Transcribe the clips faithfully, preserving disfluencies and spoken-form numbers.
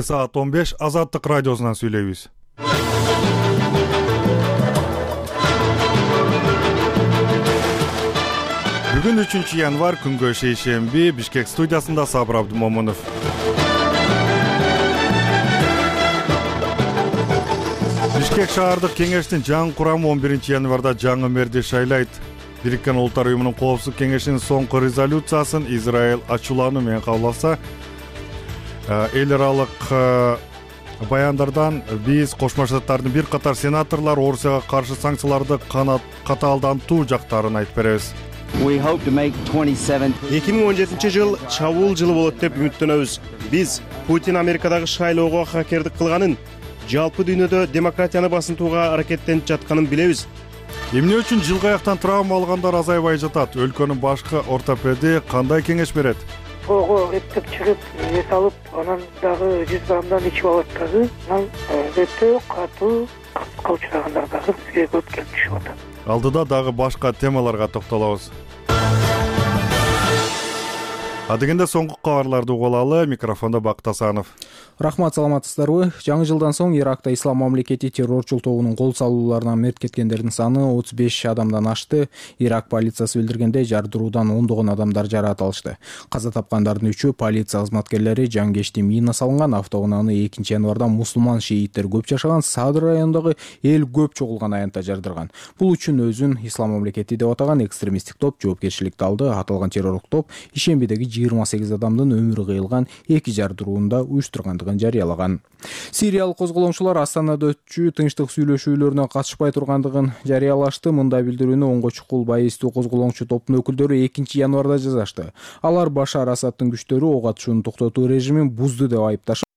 Саат он беш Азаттык радиосунан сүйлөйбүз. Бүгүн үчүнчү январь, күнгө шейшемби, Бишкек студиясында Сабыр Абдумомунов. Бишкек шаардык кеңештин жаңы курамы он биринчи январда жаңы мэрди шайлайт. Бириккен Улуттар уюмунун коопсуздук кеңешинин соңку резолюциясын Израиль ачуулануу менен кабылдаса, эл аралык баяндардан биз Кошмо Штаттардын бир катар сенаторлор Орусияга каршы санкцияларды катаалдантуу жактарын айтып беребиз. эки миң он жетинчи жыл чабуул жылы болот деп үмүттөнөбүз. Биз Путин Америкадагы шайлоого хакердик кылганын, жалпы дүйнөдө демократияны басынтууга аракеттенип жатканын билебиз. Эмне үчүн жылгы аяктан травма алгандар азайбай жатат? Өлкөнүн башкы ортопеди кандай кеңеш берет? Ого, эптеп чыгып, эс алып, анан дагы жүз граммдан ичип алат дагы. Анан өтө катуу кырсыкка учрагандар дагы бизге көп келип түшүп атат. Алдыда дагы башка темаларга токтолобуз. Адегенде соңку кабарларды угуп алалы. Микрофондо Бакыт Асанов. Рахмат, саламатсыздарбы? Жаңы жылдан соң Иракта Ислам мамлекети террорчул тобунун кол салууларынан мерт кеткендердин саны отуз беш адамдан ашты. Ирак полициясы билдиргендей, жардыруудан ондогон адамдар жараат алышты. Каза тапкандардын үчөө полиция кызматкерлери жангечти мина салынган автоунааны экинчи январда мусулман шииттер көп жашаган Садр районундагы эл көп чогулган аянтта жардырган. Бул үчүн өзүн Ислам мамлекети деп атаган экстремисттик топ жоопкерчиликти алды. Аталган террорлук топ ишембидеги жыйырма сегиз адамдын өмүрү кыйылган эки жардырууну уюштургандыгын жарыялаган. Сириялык козголоңчулар Астанада өтчү тынчтык сүйлөшүүлөрүнө катышпай тургандыгын жарыялашты. Мындай билдирүүнү оңго чукул байыстуу козголоңчу топтун өкүлдөрү экинчи январда жазышты. Алар Башар Асадтын күчтөрү ок атышууну токтотуу режимин бузду деп айыпташып,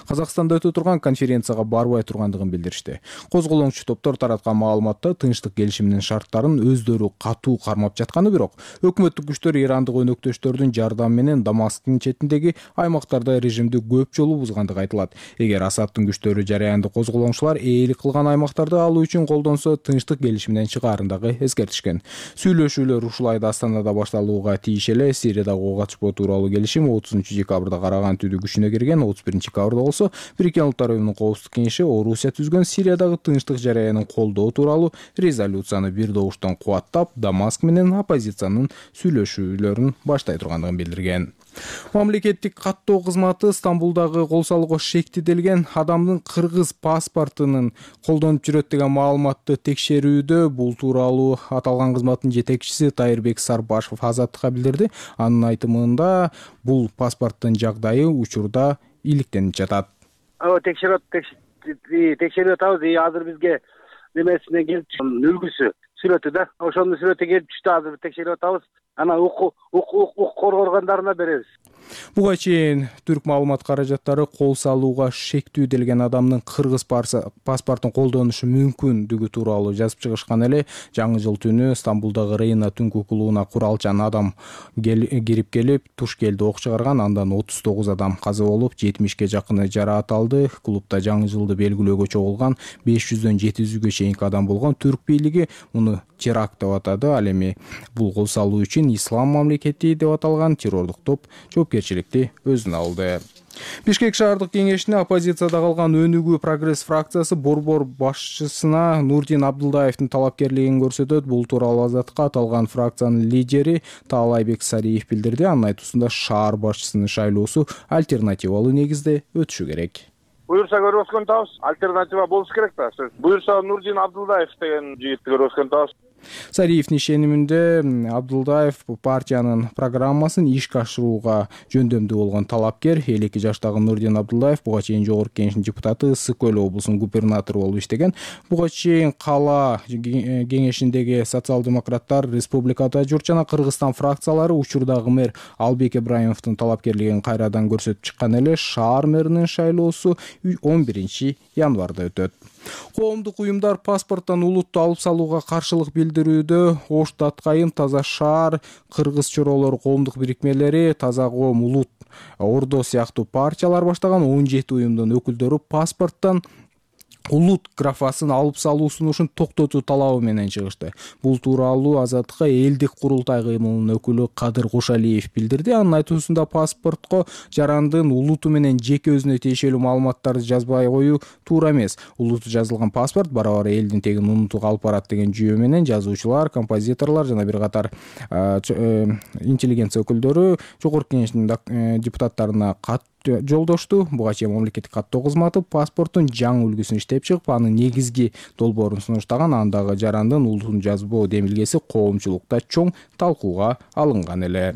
Казакстанда өтө турган конференцияга барбай тургандыгын билдиришти. Козголоңчу топтор тараткан маалыматта тынчтык келишиминин шарттарын өздөрү катуу кармап жатканы, бирок өкмөттүк күчтөр ирандык өнөктөштөрдүн жардамы менен Дамасктын четиндеги аймактарда режимди көп жолу бузгандыгы айтылат. Эгер Асадтын күчтөрү жараянды козголоңчулар ээлик кылган аймактарды алуу үчүн колдонсо, тынчтык келишиминен чыгаарын дагы эскертишкен. Сүйлөшүүлөр ушул айда Астанада башталууга тийиш эле. Сириядагы ок атышпоо тууралуу келишим отузунчу декабрда караган түдү күчүнө кирген. отуз биринчи декабрда болсо Бириккен Улуттар уюмунун коопсуздук кеңеши Орусия түзгөн Сириядагы тынчтык жараянын колдоо тууралуу резолюцияны бир добуштан кубаттап, Дамаск менен оппозициянын сүйлөшүүлөрүн баштай тургандыгын билдирген. Мамлекеттик каттоо кызматы Стамбулдагы кол салууга шектелген адамдын кыргыз паспортунун колдонуп жүрөт деген маалыматты текшерүүдө. Бул тууралуу аталган кызматтын жетекчиси Тайырбек Сарбашев Азаттыкка билдирди. Анын айтымында бул паспорттун жагдайы учурда иликтенип жатат. Ага, текшерип текшерип атабыз. Азыр бизге немесине келип үлгүсү сүрөтү да. Ошонун сүрөтү келип түштү. Азыр текшерип атабыз. Анан укук укук органдарына беребиз. Буга чейин түрк маалымат каражаттары кол салууга шектүү делген адамдын кыргыз паспортун колдонушу мүмкүндүгү тууралуу жазып чыгышкан эле. Жаңы жыл түнү Стамбулдагы Рейна түнкү клубуна куралчан адам кирип келип, туш келди ок чыгарган. Андан отуз тогуз адам каза болуп, жетимишке жакыны жараат алды. Клубда жаңы жылды белгилөөгө чогулган беш жүздөн жети жүзгө чейинки адам болгон. Түрк бийлиги муну теракт деп атады. Ал эми бул кол салуу үчүн Ислам мамлекети деп аталган террорлук топ жоопкерчиликти өзүнө алды. Бишкек шаардык кеңешине оппозицияда калган Өнүгүү Прогресс фракциясы борбор башчысына Нурдин Абдулдаевдин талапкерлигин көрсөтөт. Бул тууралуу Азаттыкка аталган фракциянын лидери Таалайбек Сариев билдирди. Анын айтуусунда шаар башчысынын шайлоосу альтернативалуу негизде өтүшү керек. Буюрса көрүп өскөн табыз, альтернатива болуш керек да. Буюрса Нурдин Абдулдаев деген жигитти көрүп өскөн табыз. Сариевдин ишениминде Абдулдаев партиянын программасын ишке ашырууга жөндөмдүү болгон талапкер. элүү эки жаштагы Нурдин Абдулдаев буга чейин жогорку кеңештин депутаты, Ысык Көл облусунун губернатору болуп иштеген. Буга чейин кала кеңешиндеги социал-демократтар, Республикада Журт жана Кыргызстан фракциялары учурдагы мэр Албек Ибраимовдун талапкерлигин кайрадан көрсөтүп чыккан эле. Шаар мэринин шайлоосу он биринчи январда өтөт. Коомдук уюмдар паспорттон улутту алып салууга каршылык билдирүүдө. Ош Таткайым, Таза шаар, Кыргыз чоролор коомдук бирикмелери, Таза коом, Улут Ордо сыяктуу партиялар баштаган он жети уюмдун өкүлдөрү паспорттон улут графасын алып салуу сунушун токтотуу талабы менен чыгышты. Бул тууралуу Азаттыкка элдик курултай кыймылынын өкүлү Кадыр Кошалиев билдирди. Анын айтуусунда паспортко жарандын улуту менен жеке өзүнө тиешелүү маалыматтарды жазбай коюу туура эмес. Улуту жазылган паспорт бара-бара элдин тегин унутууга алып барат деген жүйө менен жазуучулар, композиторлор жана бир катар интеллигенция өкүлдөрү жогорку кеңештин депутаттарына кат жолдошту. Буга чейин мамлекеттик каттоо кызматы паспорттун жаңы үлгүсүн иштеп чыгып, анын негизги долбоорун сунуштаган. Андагы жарандын улутун жазбоо демилгеси коомчулукта чоң талкууга алынган эле.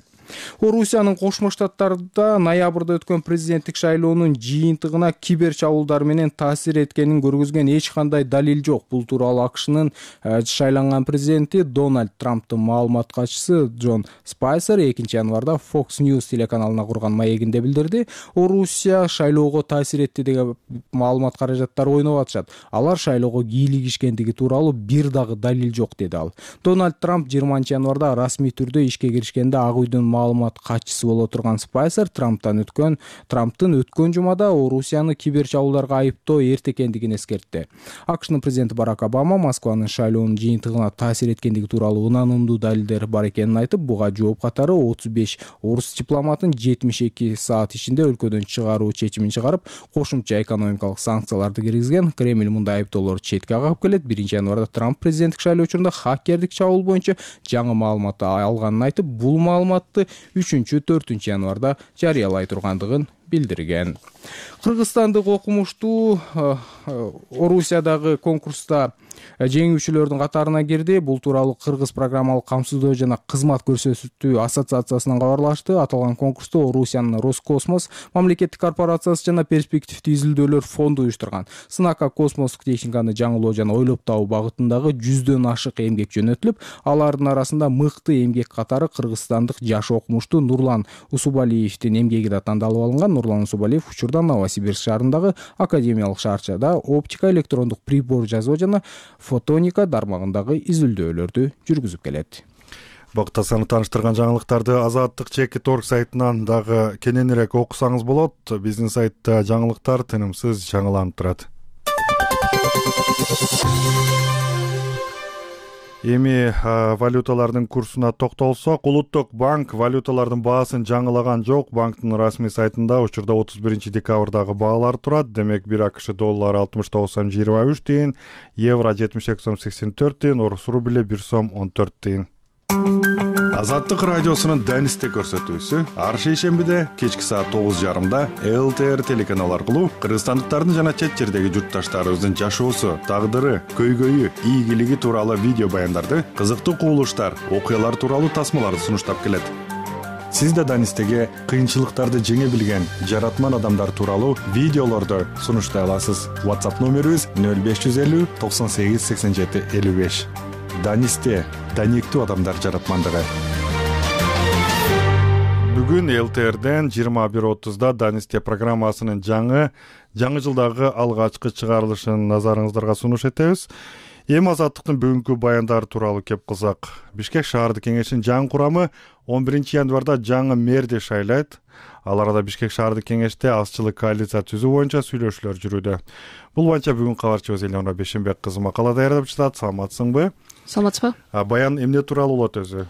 Орусиянын Кошмо Штаттарында ноябрда өткөн президенттик шайлоонун жыйынтыгына кибер чабуулдар менен таасир эткенин көргөзгөн эч кандай далил жок. Бул тууралуу АКШнын шайланган президенти Дональд Трамптын маалымат катчысы Джон Спайсер экинчи январда Fox News телеканалына курган маегинде билдирди. Орусия шайлоого таасир этти деген маалымат каражаттары ойноп атышат. Алар шайлоого кийлигишкендиги тууралуу бир дагы далил жок, деди ал. Дональд Трамп жыйырманчы январда расмий түрдө ишке киришкенде Ак үйдүн маалымат катчысы боло турган Спайсер Трамптан өткөн Трамптын өткөн жумада Орусияны кибер чабуулдарга айыптоо эрте экендигин эскертти. АКШнын президенти Барак Обама Москванын шайлоонун жыйынтыгына таасир эткендиги тууралуу ынанымдуу далилдер бар экенин айтып, буга жооп катары отуз беш орус дипломатын жетимиш эки саат ичинде өлкөдөн чыгаруу чечимин чыгарып, кошумча экономикалык санкцияларды киргизген. Кремль мындай айыптоолорду четке кагып келет. биринчи январда Трамп президенттик шайлоо учурунда хакердик чабуул боюнча жаңы маалымат алганын айтып, бул маалыматты үчүнчү төртүнчү январда жарыялай тургандыгын билдирген. Кыргызстандык окумуштуу Орусиядагы конкурста жеңүүчүлөрдүн катарына кирди. Бул тууралуу Кыргыз программалык камсыздоо жана кызмат көрсөтүү ассоциациясынан кабарлашты. Аталган конкурсту Орусиянын Роскосмос мамлекеттик корпорациясы жана перспективдүү изилдөөлөр фонду уюштурган. Сынакка космостук техниканы жаңылоо жана ойлоп табуу багытындагы жүздөн ашык эмгек жөнөтүлүп, алардын арасында мыкты эмгек катары кыргызстандык жаш окумуштуу Нурлан Усубалиевдин эмгеги да тандалып алынган. Нурлан Усубалиев учурда Новосибирск шаарындагы академиялык шаарчада оптика, электрондук прибор жасоо жана фотоника тармагындагы изилдөөлөрдү жүргүзүп келет. Бакыт Асанов тааныштырган жаңылыктарды Азаттык чекит точка орг сайтынан дагы кененирээк окусаңыз болот. Биздин сайтта жаңылыктар тынымсыз жаңыланып турат. Эми валюталардын курсуна токтолсок, Улуттук банк валюталардын баасын жаңылаган жок. Банктын расмий сайтында учурда отуз биринчи декабрдагы баалар турат. Демек, бир АКШ доллары алтымыш тогуз сом жыйырма үч тыйын, евро жетимиш эки сом сексен төрт тыйын, орус рубль бир сом он төрт тыйын. Азаттык радиосунун Данисте көрсөтүүсү ар шейшембиде кечки саат тогуз жарымда эл тэ эр телеканалы аркылуу кыргызстандыктардын жана чет жердеги журтташтарыбыздын жашоосу, тагдыры, көйгөйү, ийгилиги тууралуу видео баяндарды, кызыктуу кубулуштар, окуялар тууралуу тасмаларды сунуштап келет. Сиз да Данистеге кыйынчылыктарды жеңе билген жаратман адамдар тууралуу видеолорду сунуштай аласыз. WhatsApp номерибиз нөл беш жүз элүү токсон сегиз сексен жети элүү беш. Данисте даниктүү адамдар жаратмандыгы. Бүгүн эл тэ эрден жыйырма бир отузда Данисте программасынын жаңы жаңы жылдагы алгачкы чыгарылышын назарыңыздарга сунуш этебиз. Эми Азаттыктын бүгүнкү баяндары тууралуу кеп кылсак, Бишкек шаардык кеңешинин жаңы курамы он биринчи январда жаңы мэрди шайлайт. Ал арада Бишкек шаардык кеңеште азчылык коалиция түзүү боюнча сүйлөшүүлөр жүрүүдө. Бул боюнча бүгүн кабарчыбыз Элеонора Бешенбек кызы макала даярдап жатат. Саламатсыңбы? Саламатсызбы? Баян эмне тууралуу болот өзү?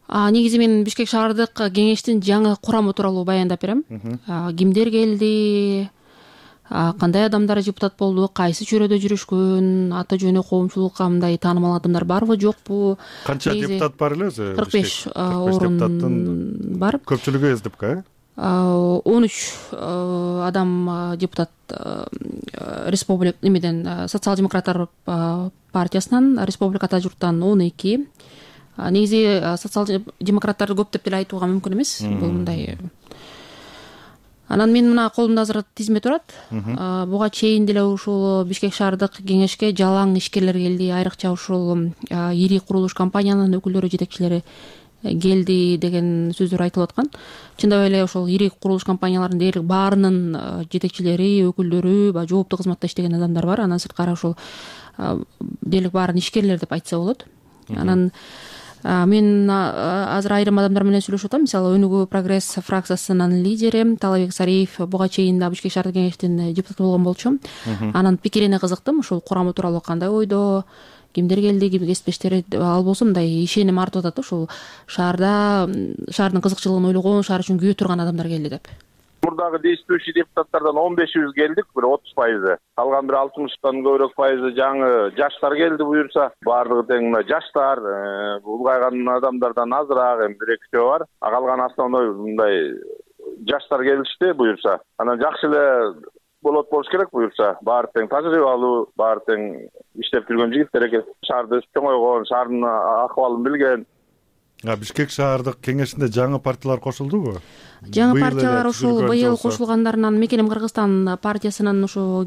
А негизи мен Бишкек шаардык кеңештин жаңы курамы тууралуу баяндап берем. Кимдер келди, кандай адамдар депутат болду, кайсы чөйрөдө жүрүшкөн, ата жөнү коомчулукка мындай таанымал адамдар барбы, жокпу? Канча депутат бар эле өзү? кырк беш орун бар. Көпчүлүгү СДПК? он үч адам депутат республик немеден социал-демократтар партиясынан, республикада журттан он эки. Негизи социал-демократтарды көп деп деле айтууга мүмкүн эмес. Бул мындай. Анан мен мына колумда азыр тизме турат. Буга чейин деле ушул Бишкек шаардык кеңешке жалаң ишкерлер келди, айрыкча ушул ири курулуш компаниянын өкүлдөрү, жетекчилери келди деген сөздөр айтылып аткан. Чындап эле ошол ири курулуш компанияларынын дээрлик баарынын жетекчилери, өкүлдөрү, баягы жооптуу кызматта иштеген адамдар бар. Анан сырткары ошол дээрлик баарын ишкерлер деп айтса болот. Анан мен азыр айрым адамдар менен сүйлөшүп атам. Мисалы Өнүгүү прогресс фракциясынын лидери Талабек Сариев буга чейин да Бишкек шаардык кеңештин депутаты болгон болчу. Анын пикирине кызыктым. Ушул курамы тууралуу кандай ойдо, кимдер келди, ким кесиптештери, ал болсо мындай ишеним артып атат да, ушул шаарда шаардын кызыкчылыгын ойлогон, шаар үчүн күйө турган адамдар келди деп. Мурдагы действующий депутаттардан он бешибиз келдик, бир отуз пайызы. Калган бир алтымыштан көбүрөөк пайызы жаңы жаштар келди буюрса. Баардыгы тең мына жаштар, улгайган адамдардан азыраак, эми бир экичөө бар. А калган основной мындай жаштар келишти буюрса. Анан жакшы эле болот болуш керек буюрса. Баары тең тажрыйбалуу, баары тең иштеп жүргөн жигиттер экен. Шаарда өсүп чоңойгон, шаардын акыбалын билген. Бишкек шаардык кеңешинде жаңы партиялар кошулдубу? Жаңы партиялар ушул быйыл кошулгандарынан Мекеним Кыргызстан партиясынын ушу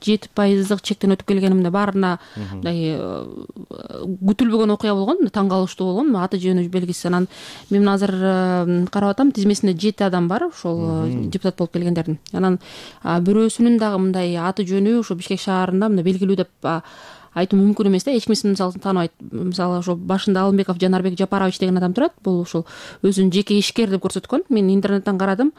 жети пайыздык чектен өтүп келгенимде баарына мындай күтүлбөгөн окуя болгон, таң калыштуу болгон, аты жөнү белгисиз. Анан мен азыр карап атам, тизмесинде жети адам бар ушул депутат болуп келгендердин. Анан бирөөсүнүн дагы мындай аты жөнү ушу Бишкек шаарында мындай белгилүү деп айтуу мүмкүн эмес да. Эч ким мисалы тааныбайт. Мисалы ошо башында Алымбеков Жанарбек Жапарович деген адам турат. Бул ушул өзүн жеке ишкер деп көрсөткөн. Мен интернеттен карадым.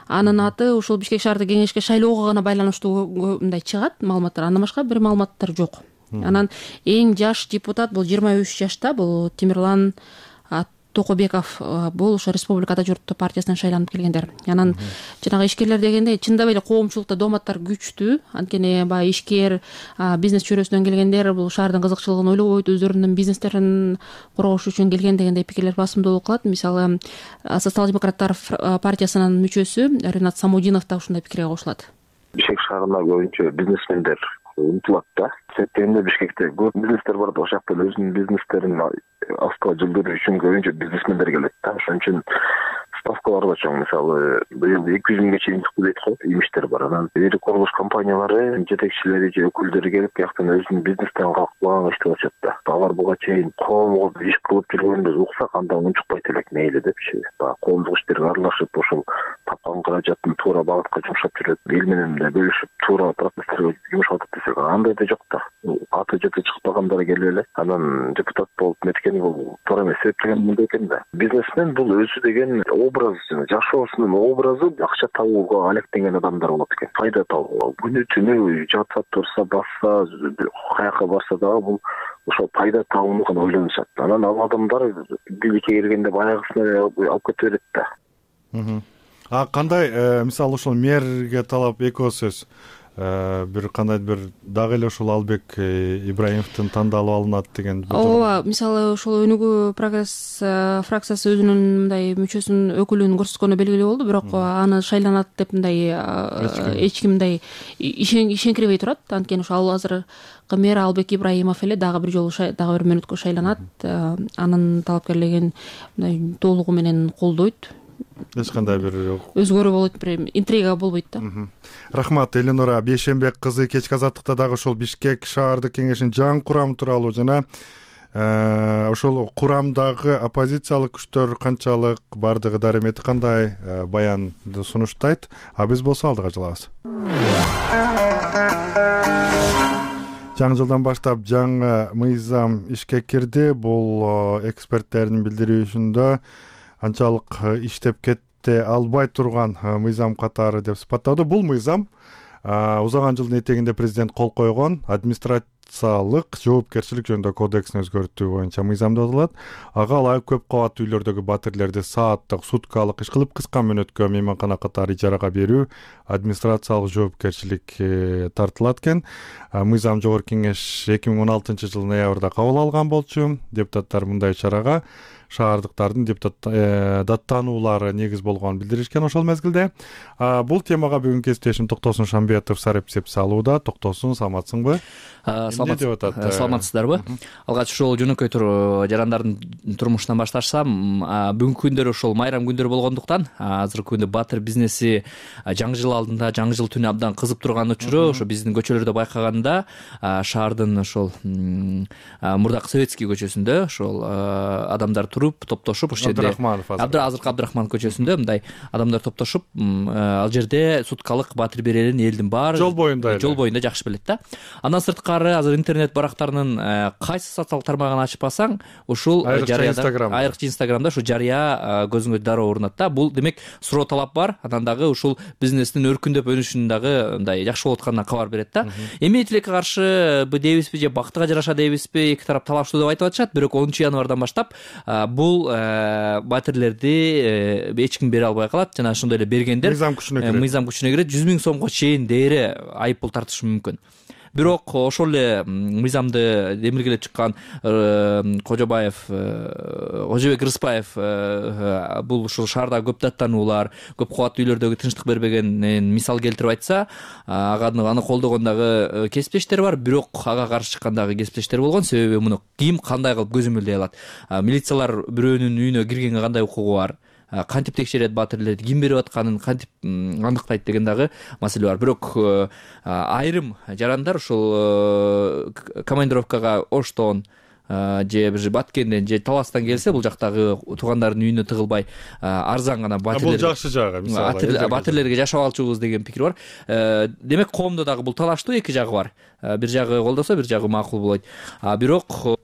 Анын аты ушул Бишкек шаардык кеңешке шайлоого гана байланыштуу мындай чыгат маалыматтар. Андан башка бир маалыматтар жок. Анан эң жаш депутат бул жыйырма үч жашта, бул Темирлан Токобеков. Бул ошо Республикада журт партиясынан шайланып келгендер. Анан жанагы ишкерлер дегенде чындап эле коомчулукта дооматтар күчтүү. Анткени баягы ишкер, бизнес чөйрөсүнөн келгендер бул шаардын кызыкчылыгын ойлобойт, өздөрүнүн бизнестерин коргош үчүн келген дегендей пикирлер басымдуулук кылат. Мисалы Социал-демократтар партиясынын мүчөсү Ринат Самудинов да ушундай пикирге кошулат. Бишкек шаарына көбүнчө бизнесмендер умтулат да. Себеби Бишкекте көп бизнестер бар да, ошол жакта өзүнүн бизнестерин астыга жылдыруу үчүн көбүнчө бизнесмендер келет да. Ошон үчүн ставкалар да чоң. Мисалы быйыл эки жүз миңге чейин чыкты дейт го, имиштер бар. Анан ири курулуш компаниялары жетекчилери же өкүлдөрү келип бияктан өзүнүн бизнестерин калкылаган иштеп атышат да. Алар буга чейин коомго иш кылып жүргөндө уксак анда унчукпайт элек, мейли депчи. Баягы коомдук иштерге аралашып, ошол тапкан каражатын туура багытка жумшап жүрөт. Эл менен да бөлүшүп, туура процесстерге жумшап атат десек, андай да жок да. Аты жөтү чыкпагандар келип эле анан депутат болуп меткен бул туура эмес эсептеген мындай экен да. Бизнесмен бул өзү деген образ, жашоосунун образы акча табууга алектенген адамдар болот экен. Пайда табууга күнү түнү жатса, турса, басса, каяка барса дагы бул ошол пайда табууну гана ойлонушат. Анан ал адамдар бийликке келгенде баягысына алып кете берет да. А кандай мисалы ошол мэрге талап эки сөз бир кандай бир дагы эле ушул Албек Ибраимовдун тандалып алынат деген. Ооба, мисалы ошол Өнүгүү прогресс фракциясы өзүнүн мындай мүчөсүн, өкүлүн көрсөткөнү белгилүү болду, бирок аны шайланат деп мындай эч ким мындай ишенкирбей турат. Анткени ошол азыр мэр Албек Ибраимов эле дагы бир жолу дагы бир мөөнөткө шайланат. Анын талапкерлигин мындай толугу менен колдойт. Эч кандай бир өзгөрүү болот, бир интрига болбойт да. Рахмат, Эленора Бейшенбек кызы. Кечки азаттыкта дагы ошол Бишкек шаардык кеңешинин жаңы курамы тууралуу жана ошол курамдагы оппозициялык күчтөр канчалык, бардыгы даремети кандай баянды сунуштайт. А биз болсо алдыга жылабыз. Жаңы жылдан баштап жаңы мыйзам ишке кирди. Бул эксперттердин билдирүүсүндө анчалык иштеп кете албай турган мыйзам катары деп сыпаттады. Бул мыйзам узаган жылдын этегинде президент кол койгон администрациялык жоопкерчилик жөнүндө кодексин өзгөртүү боюнча мыйзам деп аталат. Ага ылайык көп кабаттуу үйлөрдөгү батирлерди сааттык, суткалык иш кылып кыска мөөнөткө мейманкана катары ижарага берүү администрациялык жоопкерчилик тартылат экен. Мыйзам Жогорку Кеңеш эки миң он алтынчы жылы ноябрда кабыл алган болчу. Депутаттар мындай чарага шаардыктардын депутат даттануулары негиз болгонун билдиришкен ошол мезгилде. Бул темага бүгүн кесиптешим Токтосун Шамбетов сарепсеп салууда. Токтосун, саламатсыңбы? Саламатсыздарбы? Алгач ушул жөнөкөй жарандардын турмушунан башташсам, бүгүнкү күндөр ошол майрам күндөр болгондуктан азыркы күндө батир бизнеси жаңы жыл алдында, жаңы жыл түнү абдан кызып турган учуру ошо биздин көчөлөрдө байкаганда шаардын ошол мурдакы Советский көчөсүндө ошол адамдар топтошуп, ошол жерде азыркы Абдрахманов көчөсүндө мындай адамдар топтошуп, ал жерде суткалык батир берерин элдин баары жол боюнда жол боюнда жакшы билет да. Андан сырткары азыр интернет барактарынын кайсы социалдык тармагын ачып алсаң, ушул жарыяда айрыкча Инстаграмда ушу жарыя көзүңө дароо урунат да. Бул демек суроо талап бар, анан дагы ушул бизнестин өркүндөп өнүшүнүн дагы мындай жакшы болуп атканына кабар берет да. Эми тилекке каршы дейбизби же бактыга жараша дейбизби, эки тарап талаштуу деп айтып атышат. Бирок онунчу январдан баштап бул батирлерди эч ким бере албай калат. Жана ошондой эле бергендер мыйзам күчүнө кирет. Мыйзам күчүнө кирет, жүз миң сомго чейин дээре айыппул тартышы мүмкүн. Бирок ошол эле мыйзамды демилгелеп чыккан Кожобаев, Ожобек Рыспаев бул ушул шаардагы көп даттануулар, көп кабаттуу үйлөрдөгү тынчтык бербегенин мисал келтирип айтса, ага аны колдогон дагы кесиптештер бар, бирок ага каршы чыккан дагы кесиптештер болгон. Себеби муну ким кандай кылып көзөмөлдөй алат? Милициялар бирөөнүн үйүнө киргенге кандай укугу бар? Кантип текшерет батирлерди, ким берип атканын кантип аныктайт деген дагы маселе бар. Бирок айрым жарандар ушул командировкага Оштон же бир Баткенден же Таластан келсе, бул жактагы туугандардын үйүнө тыгылбай арзан гана батирлер. Бул жакшы жагы, мисалы. Батирлерге жашап алчубуз деген пикир бар. Демек коомдо дагы бул талаштуу эки жагы бар. Бир жагы колдосо, бир жагы макул болбойт. Бирок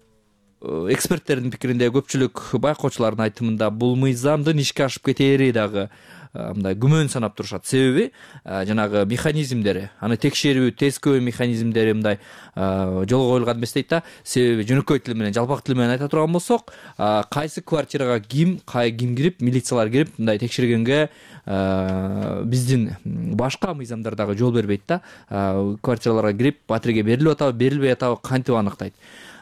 эксперттердин пикиринде, көпчүлүк байкоочулардын айтымында бул мыйзамдын ишке ашып кетери дагы мындай күмөн санап турушат. Себеби жанагы механизмдери, аны текшерүү, тескөө механизмдери мындай жолго коюлган эмес дейт да. Себеби жөнөкөй тил менен, жалпак тил менен айта турган болсок, кайсы квартирага ким, кай ким кирип, милициялар кирип мындай текшергенге биздин башка мыйзамдар дагы жол бербейт да. Квартираларга кирип, батирге берилип атабы, берилбей атабы кантип аныктайт.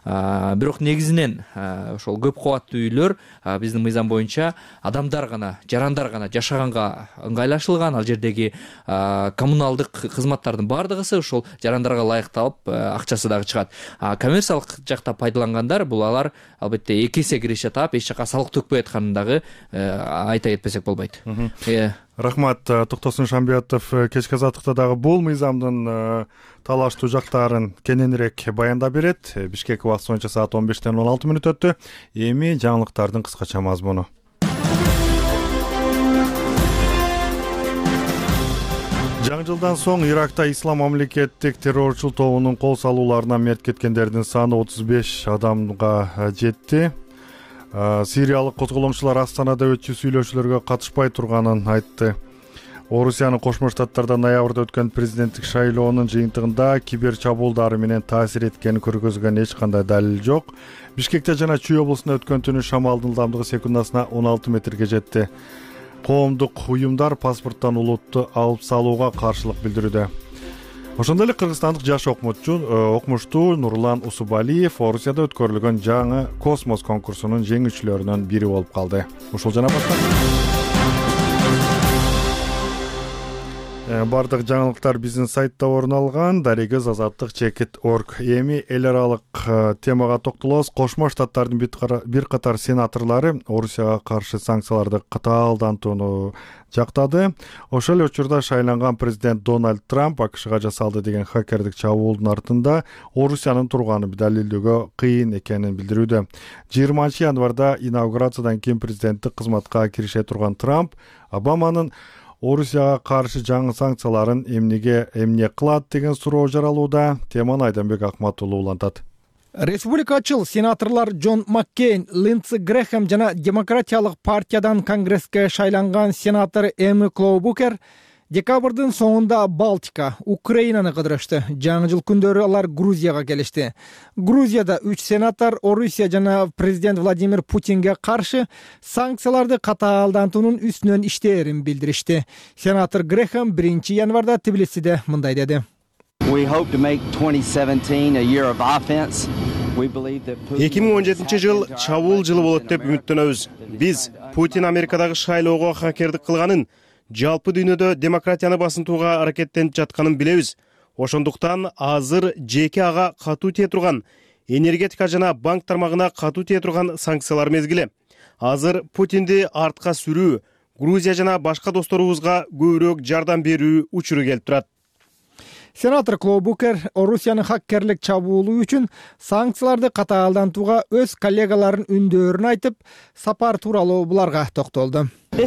Бирок негизинен ошол көп кабаттуу үйлөр биздин мыйзам боюнча адамдар гана, жарандар гана жашаганга ыңгайлашылган. Ал жердеги коммуналдык кызматтардын бардыгысы ошол жарандарга ылайыкталып, акчасы дагы чыгат. Коммерциялык жакта пайдалангандар, бул алар албетте эки эсе кириш атап, эч жака салык төкпөй атканын дагы айта кетпесек болбойт. Рахмат. Токтосун Шамбиятов кечки азаттыкта дагы бул мыйзамдын талаштуу жактарын кененирээк баяндап берет. Бишкек убакыты боюнча саат он бештен он алты мүнөт өттү. Эми жаңылыктардын кыскача мазмуну. Жаңы жылдан соң Иракта Ислам мамлекеттик террорчул тобунун кол салууларына мерт кеткендердин саны отуз беш адамга жетти. Сириялык козголоңчулар Астанада өтчү сүйлөшүүлөргө катышпай турганын айтты. Орусиянын Кошмо Штаттарда ноябрда өткөн президенттик шайлоонун жыйынтыгында кибер чабуулдары менен таасир эткенин көргөзгөн эч кандай далил жок. Бишкекте жана Чүй облусунда өткөн түнү шамалдын ылдамдыгы секундасына он алты метрге жетти. Коомдук уюмдар паспорттон улутту алып салууга каршылык билдирүүдө. Ошондой эле кыргызстандык жаш окумучу окумуштуу Нурлан Усубалиев Орусияда өткөрүлгөн жаңы космос конкурсунун жеңүүчүлөрүнүн бири болуп калды. Ушул жана башка бардык жаңылыктар биздин сайтта орун алган. Дарегиз азаттык чекит точка орг. Эми эл аралык темага токтолобуз. Кошмо Штаттардын бир катар сенаторлору Орусияга каршы санкцияларды катаалдантууну жактады. Ошол эле учурда шайланган президент Дональд Трамп АКШга жасалды деген хакердик чабуулдун артында Орусиянын турганын далилдөөгө кыйын экенин билдирүүдө. жыйырманчы январда инаугурациядан кийин президенттик кызматка кирише турган Трамп Обаманын Орусияга каршы жаңы санкцияларын эмнеге эмне кылат деген суроо жаралууда. Теманы Айданбек Акматулуу улантат. Республикачыл сенаторлор Джон Маккейн, Линдси Грэхэм жана Демократиялык партиядан Конгресске шайланган сенатор Эми Клоубукер декабрдын соңунда Балтика, Украинаны кыдырышты. Жаңы жыл күндөрү алар Грузияга келишти. Грузияда үч сенатор Орусия жана президент Владимир Путинге каршы санкцияларды катаалдантуунун үстүнөн иштээрин билдиришти. Сенатор Грэхэм биринчи январда Тбилисиде мындай деди. эки миң он жетинчи жыл чабуул жылы болот деп үмүттөнөбүз. Биз Путин Америкадагы шайлоого хакердик кылганын, жалпы дүйнөдө демократияны басынтууга аракеттенип жатканын билебиз. Ошондуктан азыр жеке ага катуу тие турган, энергетика жана банк тармагына катуу тие турган санкциялар мезгили. Азыр Путинди артка сүрүү, Грузия жана башка досторубузга көбүрөөк жардам берүү учуру келип турат. Сенатор Клоубукер Орусиянын хаккерлик чабуулу үчүн санкцияларды катаалдантууга өз коллегаларынын үндөөрүн айтып, сапар тууралуу буларга токтолду. Бул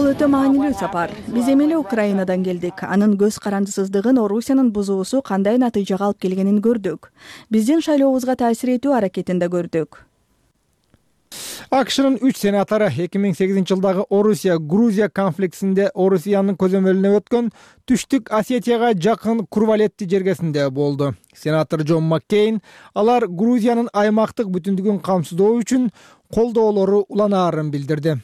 өтө маанилүү сапар. Биз эми эле Украинадан келдик. Анын көз карандысыздыгын Орусиянын бузуусу кандай натыйжага алып келгенин көрдүк. Биздин шайлообузга таасир этүү аракетин да көрдүк. АКШнын үч сенатору эки миң сегизинчи жылдагы Орусия-Грузия конфликтисинде Орусиянын көзөмөлүнө өткөн Түштүк Осетияга жакын Курвалетти жергесинде болду. Сенатор Джон Маккейн алар Грузиянын аймактык бүтүндүгүн камсыздоо үчүн колдоолору уланаарын билдирди.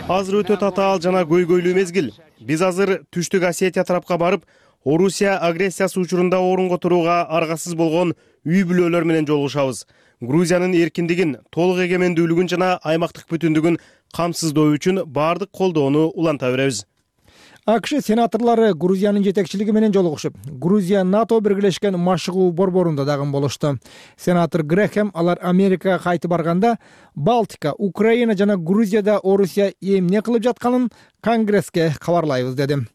Азыр өтө татаал жана көйгөйлүү мезгил. Биз азыр Түштүк Осетия тарапка барып, Орусия агрессиясы учурунда орунго турууга аргасыз болгон үй бүлөлөр менен жолугушабыз. Грузиянын эркиндигин, толук эгемендүүлүгүн жана аймактык бүтүндүгүн камсыздоо үчүн баардык колдоону уланта беребиз. АКШ сенаторлору Грузиянын жетекчилиги менен жолугушуп, Грузия НАТО биргелешкен машыгуу борборунда дагы болушту. Сенатор Грэхэм алар Америкага кайтып барганда Балтика, Украина жана Грузияда Орусия эмне кылып жатканын Конгресске кабарлайбыз деди.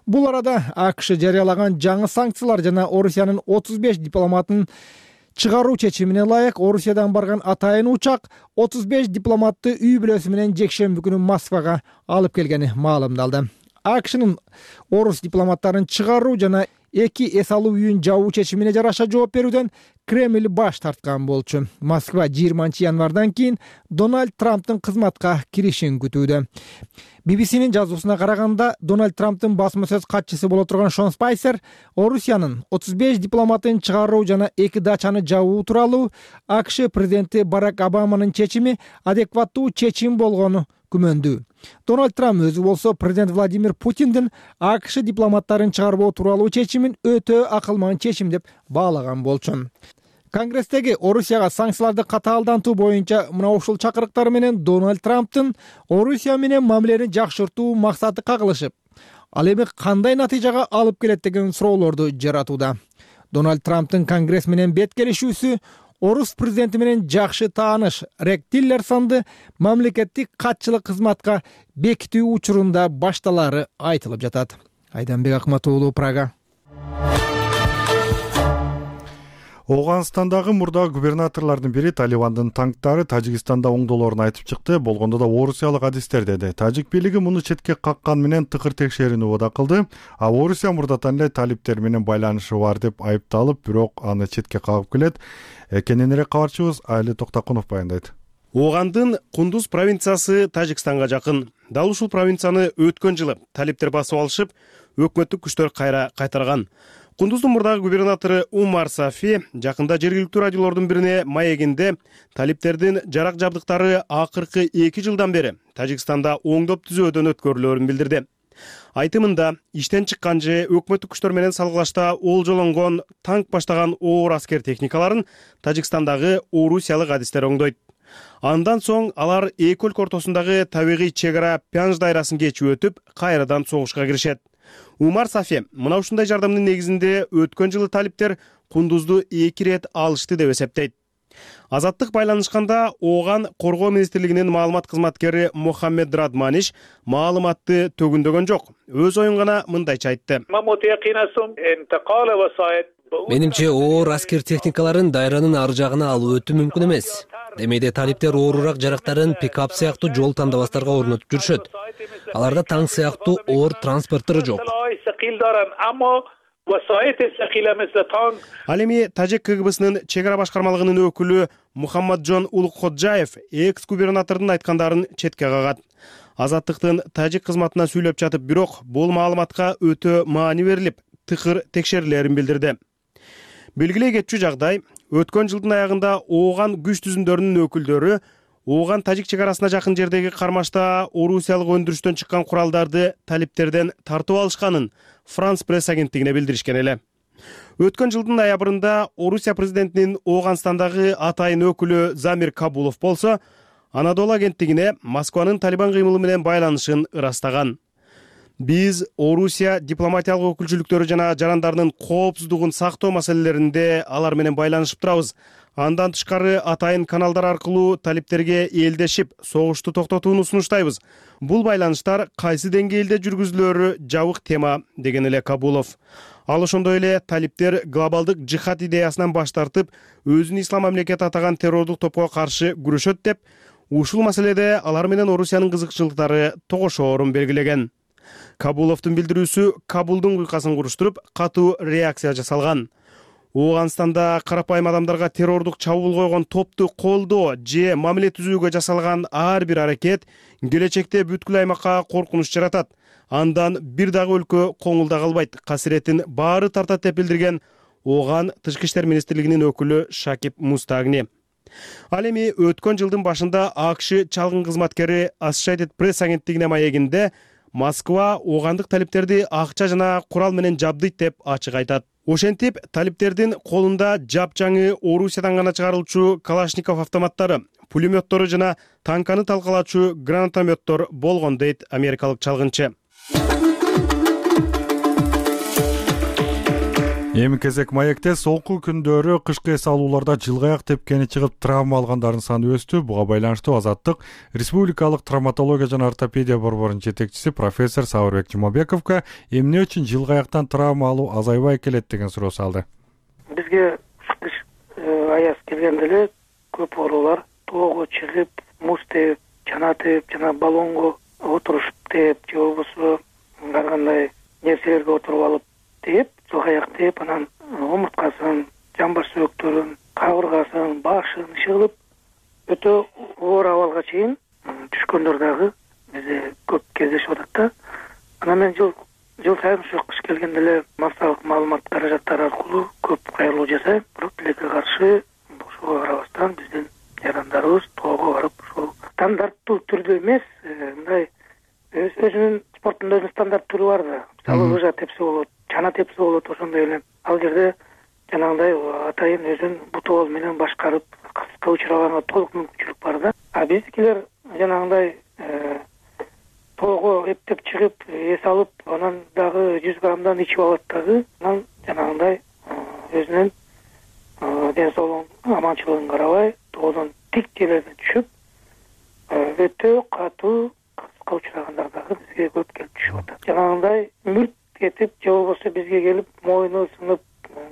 Бул арада АКШ жарыялаган жаңы санкциялар жана Орусиянын отуз беш дипломатын чыгаруу чечимине ылайык Орусиядан барган атайын учак отуз беш дипломатты үй бүлөсү менен жекшемби күнү Москвага алып келгени маалымдалды. АКШнын орус дипломаттарын чыгаруу жана эки эс алуу үйүн жабуу чечимине жараша жооп берүүдөн Кремль баш тарткан болчу. Москва жыйырманчы январдан кийин Дональд Трамптын кызматка киришин күтүүдө. би би синин жазуусуна караганда, Дональд Трамптын басма сөз катчысы боло турган Шон Спайсер Орусиянын отуз беш дипломатын чыгаруу жана эки дачаны жабуу тууралуу АКШ президенти Барак Обаманын чечими адекваттуу чечим болгону күмөндүү. Дональд Трамп өзү болсо президент Владимир Путиндин АКШ дипломаттарын чыгарбоо тууралуу чечимин өтө акылман чечим деп баалаган болчу. Конгресстеги Орусияга санкцияларды катаалдантуу боюнча мына ушул чакырыктар менен Дональд Трамптын Орусия менен мамилени жакшыртуу максаты кагылышып, ал эми кандай натыйжага алып келет деген суроолорду жаратууда. Дональд Трамптын Конгресс менен бет келишүүсү орус президенти менен жакшы тааныш Рекс Тиллерсонду мамлекеттик катчылык кызматка бекитүү учурунда башталары айтылып жатат. Айданбек Акмат уулу, Прага. Ооганстандагы мурда губернаторлордун бири Талибандын танктары Тажикстанда оңдолоорун айтып чыкты, болгондо да орусиялык адистер деди. Тажик бийлиги муну четке каккан менен тыкыр текшерүүнү убада кылды. А Орусия мурдатан эле талиптер менен байланышы бар деп айыпталып, бирок аны четке кагып келет. Кененирээк кабарчыбыз Айли Токтокунов баяндайт. Оогандын Кундуз провинциясы Тажикстанга жакын. Дал ушул провинцияны өткөн жылы талиптер басып алышып, өкмөттүк күчтөр кайра кайтарган. Кундуздун мурдагы губернатору Умар Сафи жакында жергиликтүү радиолордун бирине маегинде талиптердин жарак жабдыктары акыркы эки жылдан бери Тажикстанда оңдоп түзөөдөн өткөрүлөөрүн билдирди. Айтымында иштен чыккан же өкмөттүк күчтөр менен салгылашта олжолонгон танк баштаган оор аскер техникаларын Тажикстандагы орусиялык адистер оңдойт. Андан соң алар эки өлкө ортосундагы табигый чек ара Пянж дайрасын кечип өтүп, кайрадан согушка киришет. Умар Сафи мына ушундай жардамдын негизинде өткөн жылы талиптер Кундузду эки ирет алышты деп эсептейт. Азаттык байланышканда Ооган коргоо министрлигинин маалымат кызматкери Мохаммед Радманиш маалыматты төгүндөгөн жок. Өз оюн гана мындайча айтты. Менимче оор аскер техникаларын дайранын ар жагына алуу өтө мүмкүн эмес. Демейде талиптер оорураак жарактарын пикап сыяктуу жол тандабастарга орнотуп жүрүшөт. Аларда танк сыяктуу оор транспорттор жок. Ал эми Тажик ка гэ бэ-сынын чек ара башкармалыгынын өкүлү Мухаммаджон Улукходжаев экс-губернатордун айткандарын четке кагат. Азаттыктын Тажик кызматына сүйлөп жатып, бирок бул маалыматка өтө маани берилип, тыкыр текшерилерин билдирди. Белгилей кетчү жагдай, өткөн жылдын аягында Ооган күч түзүмдөрүнүн өкүлдөрү Ооган Тажик чек арасына жакын жердеги кармашта орусиялык өндүрүштөн чыккан куралдарды талиптерден тартып алышканын Франс пресс агенттигине билдиришкен эле. Өткөн жылдын ноябрында Орусия президентинин Ооганстандагы атайын өкүлү Замир Кабулов болсо, Анадолу агенттигине Москванын Талибан кыймылы менен байланышын ырастаган. Биз Орусия дипломатиялык өкүлчүлүктөрү жана жарандарынын коопсуздугун сактоо маселелеринде алар менен байланышып турабыз. Андан тышкары атайын каналдар аркылуу талиптерге элдешип, согушту токтотууну сунуштайбыз. Бул байланыштар кайсы деңгээлде жүргүзүлөөрү жабык тема, деген эле Кабулов. Ал ошондой эле талиптер глобалдык жихад идеясынан баш тартып, өзүн ислам мамлекети атаган террордук топко каршы күрөшөт деп, ушул маселеде алар менен Орусиянын кызыкчылыктары тогошоорун белгилеген. Кабуловдун билдирүүсү Кабулдун куйкасын куруштуруп, катуу реакция жасалган. Ооганстанда карапайым адамдарга террордук чабуул койгон топту колдоо же мамиле түзүүгө жасалган ар бир аракет келечекте бүткүл аймакка коркунуч жаратат. Андан бир дагы өлкө коңулда калбайт, касиретин баары тартат деп билдирген Ооган Тышкы иштер министрлигинин өкүлү Шакип Мустагни. Ал эми өткөн жылдын башында АКШ чалгын кызматкери Associated Press агенттигине маегинде Москва оогандык талиптерди акча жана курал менен жабдыйт деп ачык айтат. Ошентип, талиптердин колунда жапжаңы Орусиядан гана чыгарылчу Калашников автоматтары, пулеметтору жана танканы талкалаачу гранатометтор болгон дейт америкалык чалгынчы. Эми кезек маекте солку күндөрү кышкы эс алууларда жылгаяк тепкени чыгып травма алгандардын саны өстү. Буга байланыштуу Азаттык Республикалык травматология жана ортопедия борборунун жетекчиси профессор Сабырбек Жумабековго эмне үчүн жылгаяктан травма алуу азайбай келет деген суроо салды. Бизге кыш аяз келгенде эле көп оорулар тоого чыгып, муз тээп, чана тээп, жана баллонго отурушуп тээп, же болбосо ар кандай нерселерге отуруп алып тээп, жылгаяк тээп, анан омурткасын, жамбаш сөөктөрүн, кабыргасын, башын ишыгылып өтө оор абалга чейин түшкөндөр дагы бизде көп кездешип атат да. Анан мен жыл жыл сайын ушу кыш келгенде эле массалык маалымат каражаттары аркылуу көп кайрылуу жасайм. Бирок тилекке каршы ошого карабастан биздин жарандарыбыз тоого барып ошол стандарттуу түрдө эмес, мындай өзүнүн спорттун өзүнүн стандарт түрү бар да. Мисалы лыжа тепсе болот, чана тепсе болот, ошондой эле. Ал жерде жанагындай атайын өзүн бутубол менен башкарып кыска учурабаганга толук мүмкүнчүлүк бар да. А биздикилер жанагындай тоого эптеп чыгып, эс алып, анан дагы жүз граммдан ичип алат дагы. Анан жанагындай өзүнүн ден соолугун, аманчылыгын карабай, тоодон тик жерлерден түшүп, өтө катуу кыска учурагандар дагы бизге көп келип түшүп атат. Жанагындай мүрт кетип, же болбосо бизге келип, мойну сынып,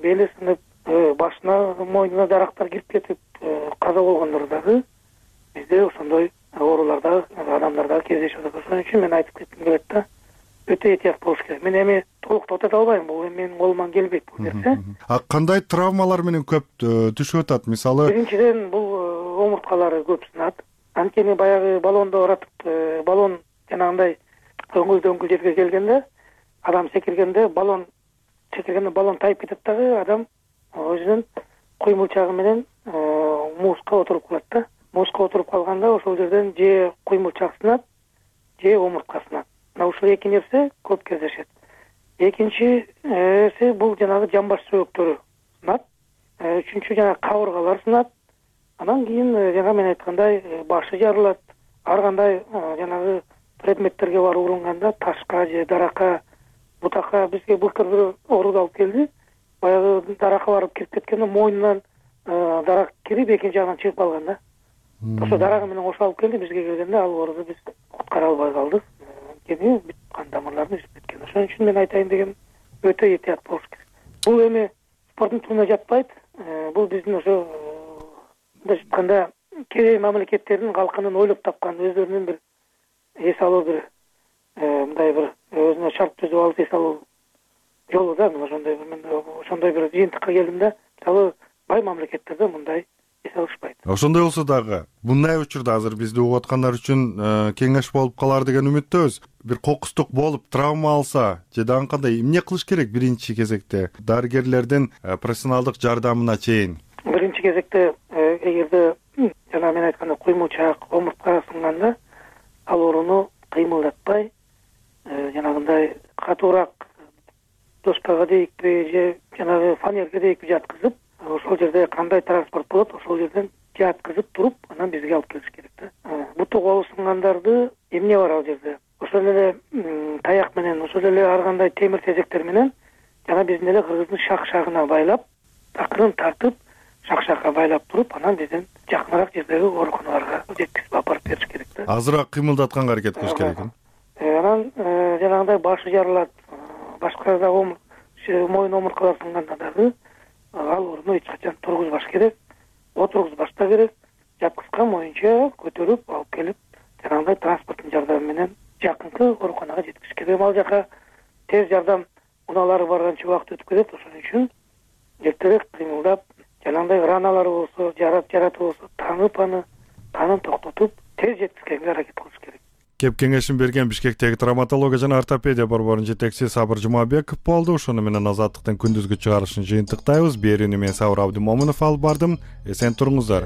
бели сынып, башына, мойнуна дарактар кирип кетип, каза болгондор дагы бизде ошондой ооруларда адамдарда кездешип атат. Ошон үчүн мен айтып кетким келет да, өтө этият болуш керек. Мен эми толук токтото албайм, бул эми менин колуман келбейт бул нерсе. А кандай травмалар менен көп түшүп атат? Мисалы, биринчиден бул омурткалары көп сынат. Анткени баягы баллондо оратып, баллон жанагындай өңгүл-дөңгүл жерге келгенде, адам секиргенде баллон секиргенде баллон тайып кетет дагы, адам өзүнүн куймулчагы менен музга отуруп калат да. Музга отуруп калганда ошол жерден же куймулчак сынат, же омуртка сынат. Мына ушул эки нерсе көп кездешет. Экинчиси бул жанагы жамбаш сөөктөрү сынат. Үчүнчү жанагы кабыргалар сынат. Анан кийин жана мен айткандай башы жарылат. Ар кандай жанагы предметтерге барып урунганда ташка же даракка, бутакка бизге былтыр бир оору алып келди. Баягы даракка барып кирип кеткенде мойнунан дарак кирип экинчи жагынан чыгып калган да. Ошо дарагы менен кошо алып келди, бизге келгенде ал ооруду биз куткара албай калдык. Анткени бүт кан тамырларын үзүп кеткен. Ошон үчүн мен айтайын дегеним өтө этият болуш керек. Бул эми спорттун түрүнө жатпайт. Бул биздин ошо мындай айтканда кээ мамлекеттердин калкынын ойлоп тапкан өздөрүнүн бир эс алуу бир мындай бир өзүнө шарт түзүп алып эс алуу жолу да. Мен ошондой бир мен ошондой бир жыйынтыкка келдим да. Мисалы бай мамлекеттерде мындай эс алышпайт. Ошондой болсо дагы мындай учурда азыр бизди угуп аткандар үчүн кеңеш болуп калар деген үмүттөбүз. Бир кокустук болуп травма алса, же дагы кандай эмне кылыш керек биринчи кезекте дарыгерлердин профессионалдык жардамына чейин? Биринчи кезекте эгерде жана мен айткандай куймулчак, омуртка сынганда ал ооруну кыймылдатпай, жанагындай катуураак доскага дейикпи же жанагы фанерге дейикпи жаткызып, ошол жерде кандай транспорт болот, ошол жерден жаткызып туруп, анан бизге алып келиш керек да. Буту колу сынгандарды эмне бар ал жерде? Ошол эле таяк менен, ошол эле ар кандай темир тезектер менен жана биздин эле кыргыздын шак-шагына байлап, такырын тартып, шак-шакка байлап туруп, анан биздин жакыныраак жердеги ооруканаларга жеткизип апарып бериш керек да. Азыраак кыймылдатканга аракет кылыш керек. Анан жанагындай башы жарылат, башка да моюн омурткалар сынганда дагы ал ордуна эч качан тургузбаш керек, отургузбаш да керек. Жапкычкан боюнча көтөрүп алып келип жанагындай транспорттун жардамы менен жакынкы ооруканага жеткизиш керек. Ал жака тез жардам унаалары барганча убакыт өтүп кетет. Ошон үчүн эртерээк кыймылдап, жанагындай раналары болсо, жарат жараты болсо таанып аны канын токтотуп тез жеткизгенге аракет кылыш керек. Кеп кеңешин берген Бишкектеги травматология жана ортопедия борборунун жетекчиси Сабыр Жумабеков болду. Ошону менен Азаттыктын күндүзгү чыгарылышын жыйынтыктайбыз. Берүүнү мен Сабыр Абдымомунов алып бардым. Эсен туруңуздар.